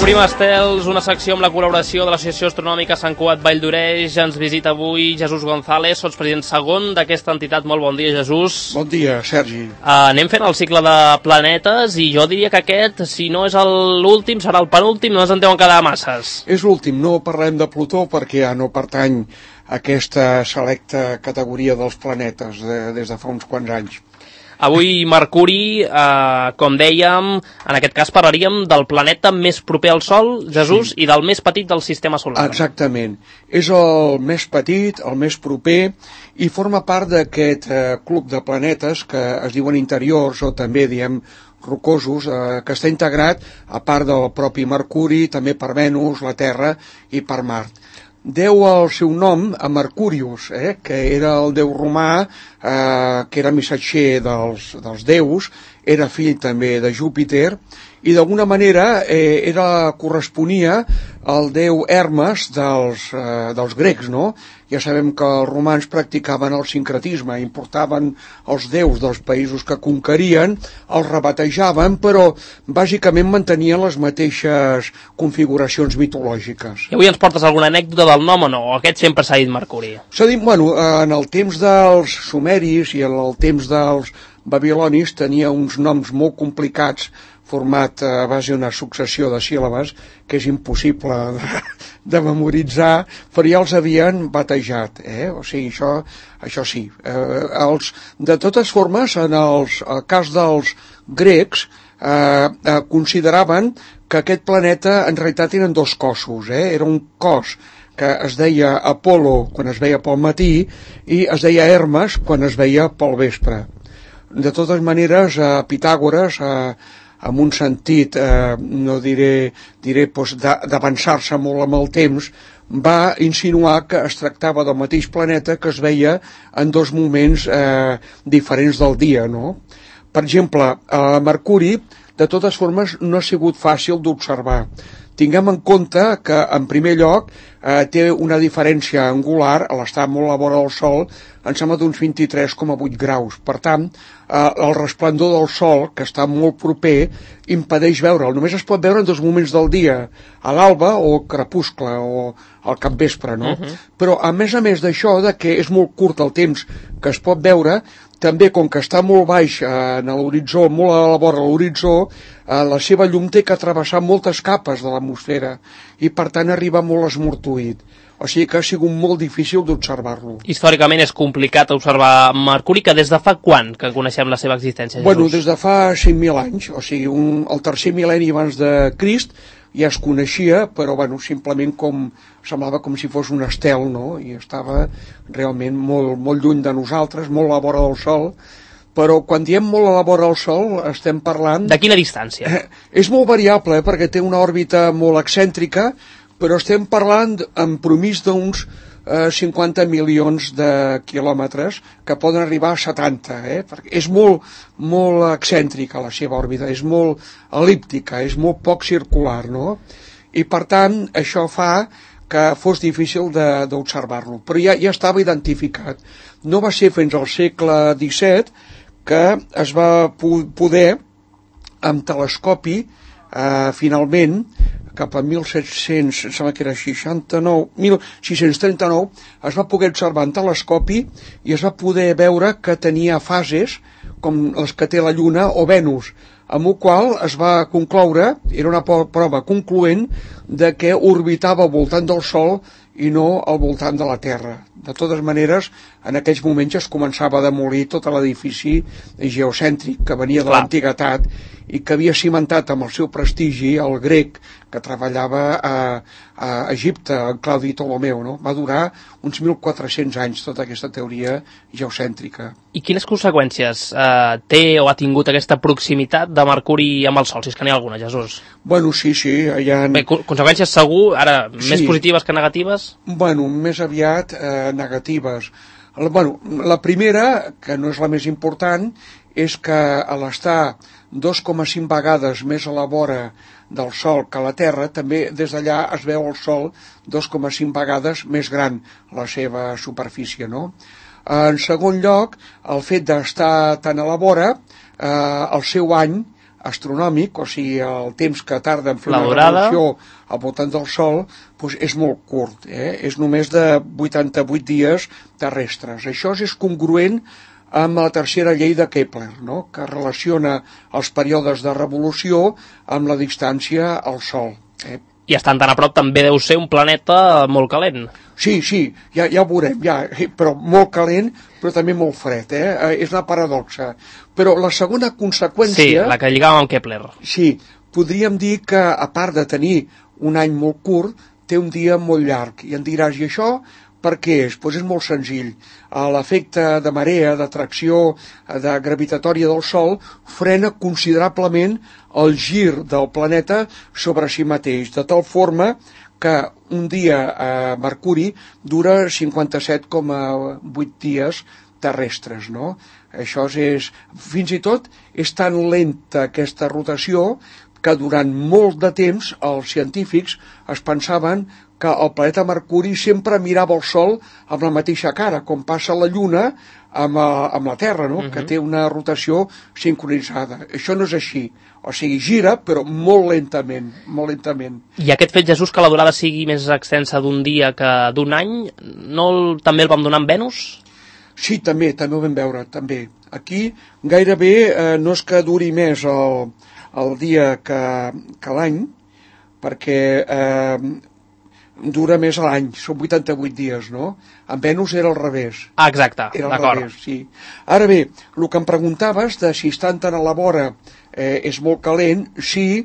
Obrim estels, una secció amb la col·laboració de l'Associació Astronòmica Sant Cugat Vall d'Oreix. Ens visita avui Jesús González, sotspresident segon d'aquesta entitat. Molt bon dia, Jesús. Bon dia, Sergi. Anem fent el cicle de planetes i jo diria que aquest, si no és l'últim, serà el penúltim, no ens en deuen quedar masses. És l'últim, no parlem de Plutó perquè ja no pertany a aquesta selecta categoria dels planetes des de fa uns quants anys. Avui Mercuri, com dèiem, en aquest cas parlaríem del planeta més proper al Sol, Jesús, sí, i del més petit del sistema solar. Exactament. És el més petit, el més proper, i forma part d'aquest club de planetes que es diuen interiors, o també diem rocosos, que està integrat, a part del propi Mercuri, també per Venus, la Terra i per Mart. Deu el seu nom a Mercurius, que era el déu romà, que era missatger dels déus, era fill també de Júpiter, i d'alguna manera corresponia al déu Hermes dels grecs, no? Ja sabem que els romans practicaven el sincretisme, importaven els déus dels països que conquerien, els rebatejaven, però bàsicament mantenien les mateixes configuracions mitològiques. I avui ens portes alguna anècdota del nom o no? O aquest sempre s'ha dit Mercuri? S'ha dit, bueno, en el temps dels sumeris i en el temps dels babilonis tenia uns noms molt complicats format a base d'una successió de síl·labes que és impossible de memoritzar, però ja els havien batejat, O sigui, això sí. De totes formes, en el cas dels grecs, consideraven que aquest planeta en realitat eren dos cossos, Era un cos que es deia Apolo quan es veia pel matí i es deia Hermes quan es veia pel vespre. De totes maneres, Pitàgores, en un sentit, no diré d'avançar-se molt amb el temps, va insinuar que es tractava del mateix planeta que es veia en dos moments diferents del dia, no? Per exemple, Mercuri, de totes formes, no ha sigut fàcil d'observar. Tinguem en compte que, en primer lloc, té una diferència angular, a l'estar molt a la vora del Sol, em sembla d'uns 23,8 graus. Per tant, el resplendor del Sol, que està molt proper, impedeix veure'l. Només es pot veure en dos moments del dia, a l'alba o al crepuscle, o al capvespre, no? Però, a més d'això, que és molt curt el temps que es pot veure, també, com que està molt baix en l'horitzó, molt a la vora de l'horitzó, la seva llum té que travessar moltes capes de l'atmosfera i, per tant, arriba molt esmortuït. O sigui que ha sigut molt difícil d'observar-lo. Històricament és complicat observar Mercuri, que des de fa quan que coneixem la seva existència, Jesús? Bueno, des de fa 5.000 anys, o sigui, el tercer mil·lenni abans de Crist, ja es coneixia, però bueno, simplement semblava com si fos un estel, no? I estava realment molt lluny de nosaltres, molt a la vora del Sol, però quan diem molt a la vora del Sol estem parlant... De quina distància? És molt variable, perquè té una òrbita molt excèntrica, però estem parlant en promís d'uns 50 milions de quilòmetres que poden arribar a 70, perquè és molt excèntrica la seva òrbita, és molt el·líptica, és molt poc circular, no? I per tant això fa que fos difícil d'observar-lo, però ja estava identificat. No va ser fins al segle XVII que es va poder, amb telescopi, finalment, cap a 1700, em sembla que era 1639, es va poder observar en telescopi i es va poder veure que tenia fases com les que té la Lluna o Venus, amb el qual es va concloure, era una prova concloent, de que orbitava al voltant del Sol i no al voltant de la Terra. De totes maneres, en aquells moments es començava a demolir tot l'edifici geocèntric que venia de l'antiguitat i que havia cimentat amb el seu prestigi el grec que treballava a Egipte, en Claudi Ptolomeu, no? Va durar uns 1.400 anys tota aquesta teoria geocèntrica. I quines conseqüències té o ha tingut aquesta proximitat de Mercuri amb el Sol, si és que n'hi ha alguna, Jesús? Bueno, sí, hi ha... Bé, conseqüències segur, ara, més positives que negatives? Bueno, més aviat negatives. Bueno, la primera, que no és la més important, és que a l'estar 2,5 vegades més a la vora del Sol que a la Terra, també des d'allà es veu el Sol 2,5 vegades més gran la seva superfície, no? En segon lloc, el fet d'estar tan a la vora, el seu any astronòmic, o sigui, el temps que tarda en fer La una durada revolució al voltant del Sol, doncs és molt curt, és només de 88 dies terrestres. Això és congruent amb la tercera llei de Kepler, no? Que relaciona els períodes de revolució amb la distància al Sol. I estant tan a prop també deu ser un planeta molt calent. Sí, ja ho veurem, però molt calent, però també molt fred, és una paradoxa. Però la segona conseqüència... Sí, la que lligava amb Kepler. Sí, podríem dir que, a part de tenir un any molt curt, té un dia molt llarg. I em diràs, i això per què és? Doncs és molt senzill. L'efecte de marea, d'atracció, de gravitatòria del Sol, frena considerablement el gir del planeta sobre si mateix, de tal forma que un dia a Mercuri dura 57,8 dies terrestres, no? Això fins i tot és tan lenta aquesta rotació que durant molt de temps els científics es pensaven que el planeta Mercuri sempre mirava el Sol amb la mateixa cara, com passa la Lluna amb la Terra, no? Que té una rotació sincronitzada. Això no és així. O sigui, gira, però molt lentament, molt lentament. I aquest fet, Jesús, que la durada sigui més extensa d'un dia que d'un any, també el vam donar amb Venus? Sí, també ho vam veure, també. Aquí gairebé no és que duri més el dia que l'any, perquè dura més l'any, són 88 dies, no? En Venus era al revés. Ah, exacte, d'acord. Sí. Ara bé, el que em preguntaves de si estan tan a la vora és molt calent, sí,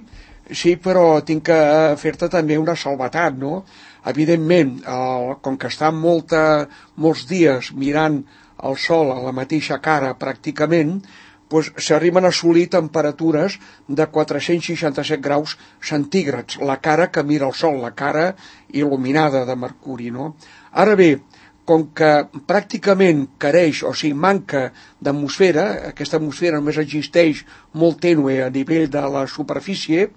però tinc que fer-te també una salvetat, no? Evidentment, com que estan molts dies mirant el Sol a la mateixa cara pràcticament, doncs s'arriben a assolir temperatures de 467 graus centígrads, la cara que mira el Sol, la cara il·luminada de Mercuri, no? Ara bé, com que pràcticament careix, o sigui, manca d'atmosfera, aquesta atmosfera només existeix molt tènue a nivell de la superfície,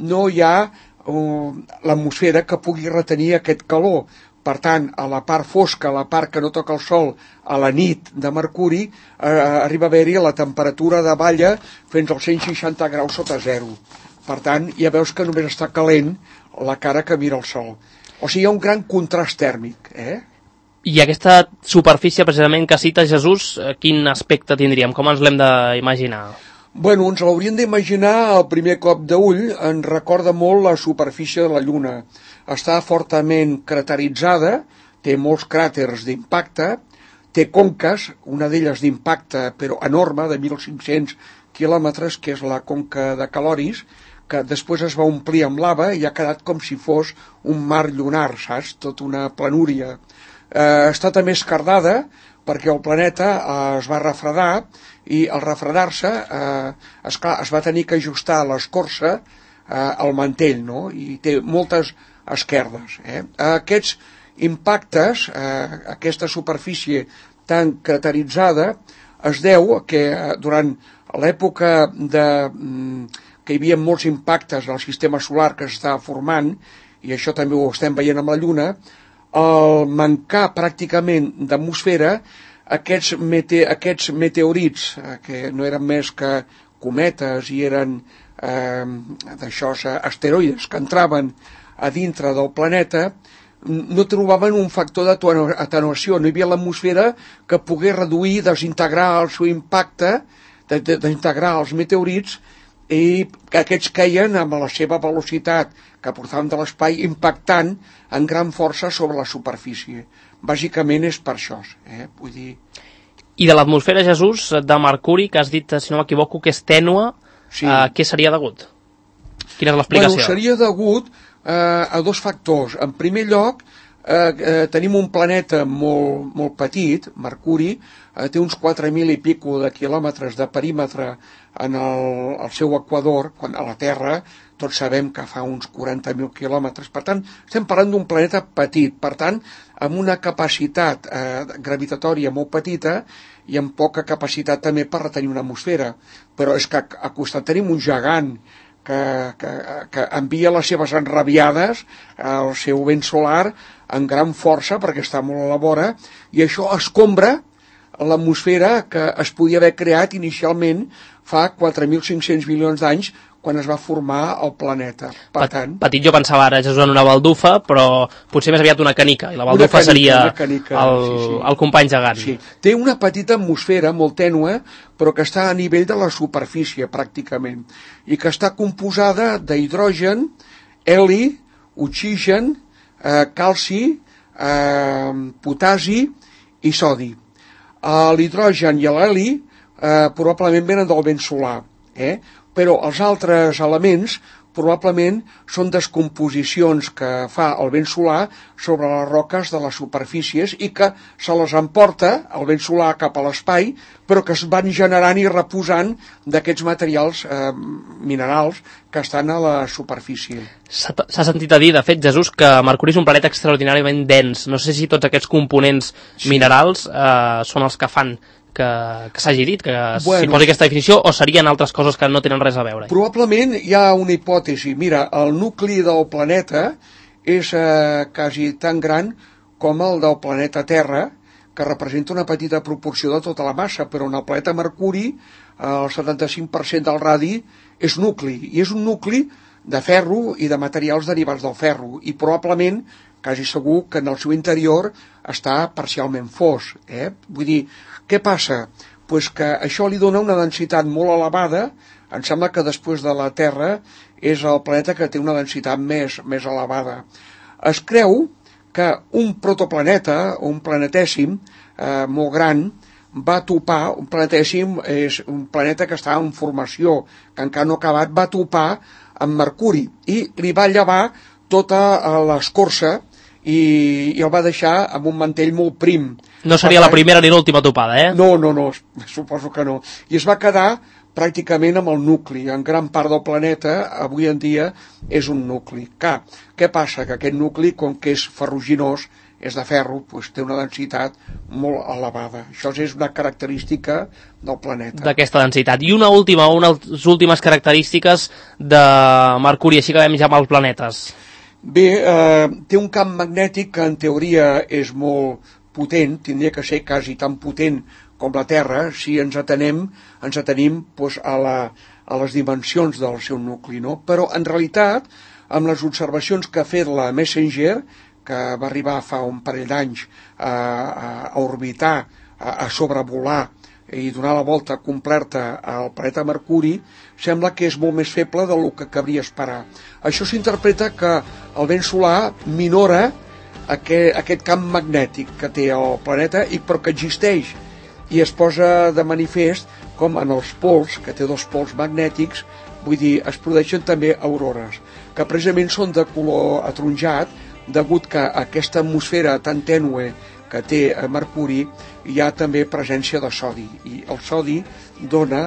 no hi ha l'atmosfera que pugui retenir aquest calor. Per tant, a la part fosca, a la part que no toca el Sol, a la nit de Mercuri, arriba a haver-hi la temperatura de balla fins als 160 graus sota zero. Per tant, ja veus que només està calent la cara que mira el Sol. O sigui, hi ha un gran contrast tèrmic, I aquesta superfície, precisament, que cita Jesús, quin aspecte tindríem? Com ens l'hem d'imaginar? Bueno, ens l'hauríem d'imaginar al primer cop d'ull, ens recorda molt la superfície de la Lluna. Està fortament crateritzada, té molts cràters d'impacte, té conques, una d'elles d'impacte, però enorme, de 1.500 quilòmetres, que és la conca de Caloris, que després es va omplir amb lava i ha quedat com si fos un mar lunar, saps? Tot una planúria. Està també esquerdada perquè el planeta es va refredar i al refredar-se es va tenir que ajustar l'escorça al mantell, no? I té moltes esquerdes. Aquests impactes, aquesta superfície tan crateritzada, es deu que durant l'època que hi havia molts impactes al sistema solar que s'estava formant, i això també ho estem veient amb la Lluna, al mancar pràcticament d'atmosfera, aquests meteorits, que no eren més que cometes i eren asteroides que entraven a dintre del planeta, no trobaven un factor d'atenuació, no hi havia l'atmosfera que pogués reduir, desintegrar el seu impacte, desintegrar els meteorits, i que aquests queien amb la seva velocitat que portaven de l'espai impactant en gran força sobre la superfície. Bàsicament és per això, vull dir... I de l'atmosfera, Jesús, de Mercuri, que has dit, si no m'equivoco, que és tènue, sí. Què seria degut? Quina és l'explicació? Bueno, seria degut a dos factors. En primer lloc, tenim un planeta molt petit, Mercuri, té uns 4.000 i pico de quilòmetres de perímetre en el seu equador, quan a la Terra tots sabem que fa uns 40.000 quilòmetres. Per tant, estem parlant d'un planeta petit, per tant, amb una capacitat gravitatòria molt petita i amb poca capacitat també per retenir una atmosfera. Però és que a costat tenim un gegant que envia les seves enrabiades al seu vent solar en gran força perquè està molt a la vora, i això escombra l'atmosfera que es podia haver creat inicialment fa 4.500 milions d'anys quan es va formar el planeta. Per tant... Petit jo pensava ara, Jesús, en una baldufa, però potser més aviat una canica, i la baldufa seria el company gegant. Sí. Té una petita atmosfera molt tènue, però que està a nivell de la superfície, pràcticament, i que està composada d'hidrogen, heli, oxigen, calci, potasi i sodi. L'hidrogen i l'heli probablement venen del vent solar, però els altres elements probablement són descomposicions que fa el vent solar sobre les roques de les superfícies i que se les emporta el vent solar cap a l'espai, però que es van generant i reposant d'aquests materials minerals que estan a la superfície. S'ha sentit a dir, de fet, Jesús, que Mercuri és un planeta extraordinàriament dens. No sé si tots aquests components minerals són els que fan que s'hagi dit, que s'hi posi aquesta definició, o serien altres coses que no tenen res a veure? Probablement hi ha una hipòtesi. Mira, el nucli del planeta és quasi tan gran com el del planeta Terra, que representa una petita proporció de tota la massa, però en el planeta Mercuri el 75% del radi és nucli, i és un nucli de ferro i de materials derivats del ferro, i probablement, quasi segur, que en el seu interior està parcialment fos. Vull dir, què passa? Pues que això li dona una densitat molt elevada. Em sembla que després de la Terra és el planeta que té una densitat més elevada. Es creu que un protoplaneta, un planetèsim molt gran, va topar, un planetèsim és un planeta que està en formació, que encara no ha acabat, va topar amb Mercuri i li va llevar tota l'escorça i el va deixar amb un mantell molt prim. No seria la primera ni l'última topada, No, suposo que no. I es va quedar pràcticament amb el nucli. En gran part del planeta, avui en dia, és un nucli. Què passa? Que aquest nucli, com que és ferruginós, és de ferro, doncs té una densitat molt elevada. Això és una característica del planeta. D'aquesta densitat. I unes últimes característiques de Mercuri, així que acabem ja amb els planetes. Bé, té un camp magnètic que en teoria és molt potent, tindria que ser quasi tan potent com la Terra, si ens atenim doncs, a les dimensions del seu nucli, no? Però en realitat, amb les observacions que ha fet la Messenger, que va arribar fa un parell d'anys a orbitar, a sobrevolar i donar la volta completa al planeta Mercuri, sembla que és molt més feble del que cabria esperar. Això s'interpreta que el vent solar minora aquest camp magnètic que té el planeta, però que existeix, i es posa de manifest com en els pols, que té dos pols magnètics, vull dir, es produeixen també aurores, que precisament són de color ataronjat, degut que aquesta atmosfera tan tènue que té Mercuri hi ha també presència de sodi, i el sodi dona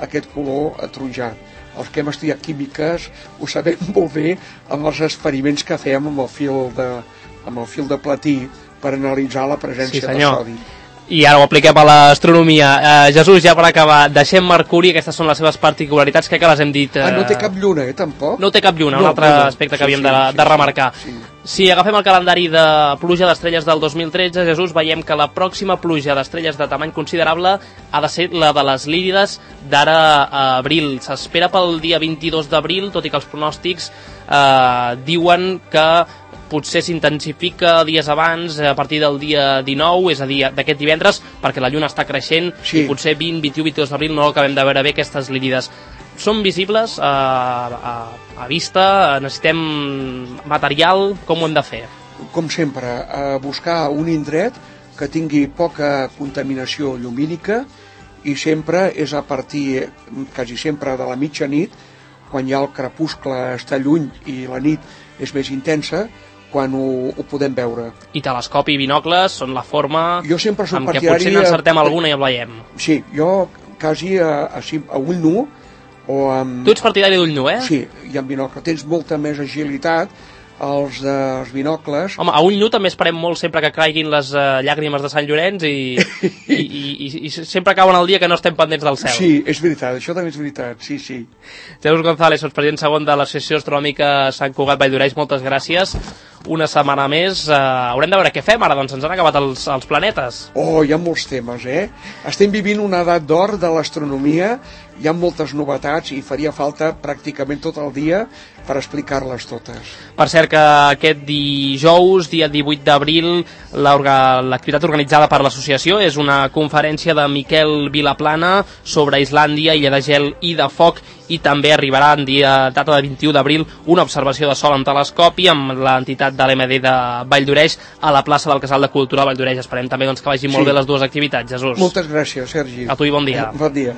aquest color ataronjat. Els que hem estudiat químiques ho sabem molt bé amb els experiments que fèiem amb el fil de platí per analitzar la presència de sodi. I ara ho apliquem a l'astronomia. Jesús, ja per acabar, deixem Mercuri, aquestes són les seves particularitats, crec que les hem dit... No té cap lluna, tampoc? No té cap lluna, un altre aspecte que havíem de remarcar. Si agafem el calendari de pluja d'estrelles del 2013, Jesús, veiem que la pròxima pluja d'estrelles de tamany considerable ha de ser la de les Lírides d'ara a abril. S'espera pel dia 22 d'abril, tot i que els pronòstics diuen que potser s'intensifica dies abans, a partir del dia 19, és a dir, d'aquest divendres, perquè la lluna està creixent, i potser 20, 21, 22 d'abril no acabem de veure bé aquestes Lírides. Són visibles a vista? Necessitem material? Com ho hem de fer? Com sempre, buscar un indret que tingui poca contaminació llumínica, i sempre és a partir, quasi sempre, de la mitjanit, quan ja el crepuscle està lluny i la nit és més intensa, quan ho podem veure. I telescopi i binocles són la forma amb què potser n'encertem alguna i el veiem. Sí, jo quasi a ull nu o amb... Tu ets partidari d'ull nu, Sí, i amb binocle. Tens molta més agilitat dels binocles. Home, a Ullnu també esperem molt sempre que caiguin les llàgrimes de Sant Llorenç i sempre cauen el dia que no estem pendents del cel. Sí, és veritat, això també és veritat, sí. Jesús González, president segon de l'Associació Astronòmica Sant Cugat Valldoreix, moltes gràcies. Una setmana més. Haurem de veure què fem ara, doncs ens han acabat els planetes. Oh, hi ha molts temes, Estem vivint una edat d'or de l'astronomia, hi ha moltes novetats i faria falta pràcticament tot el dia per explicar-les totes. Per cert que aquest dijous, dia 18 d'abril, l'activitat organitzada per l'associació és una conferència de Miquel Vilaplana sobre Islàndia, Illa de Gel i de Foc, i també arribarà en data de 21 d'abril una observació de sol en telescopi amb l'entitat de l'MD de Valldoreix a la plaça del Casal de Cultura de Valldoreix. Esperem també doncs, que vagin molt bé les dues activitats, Jesús. Moltes gràcies, Sergi. A tu i bon dia. Bon dia.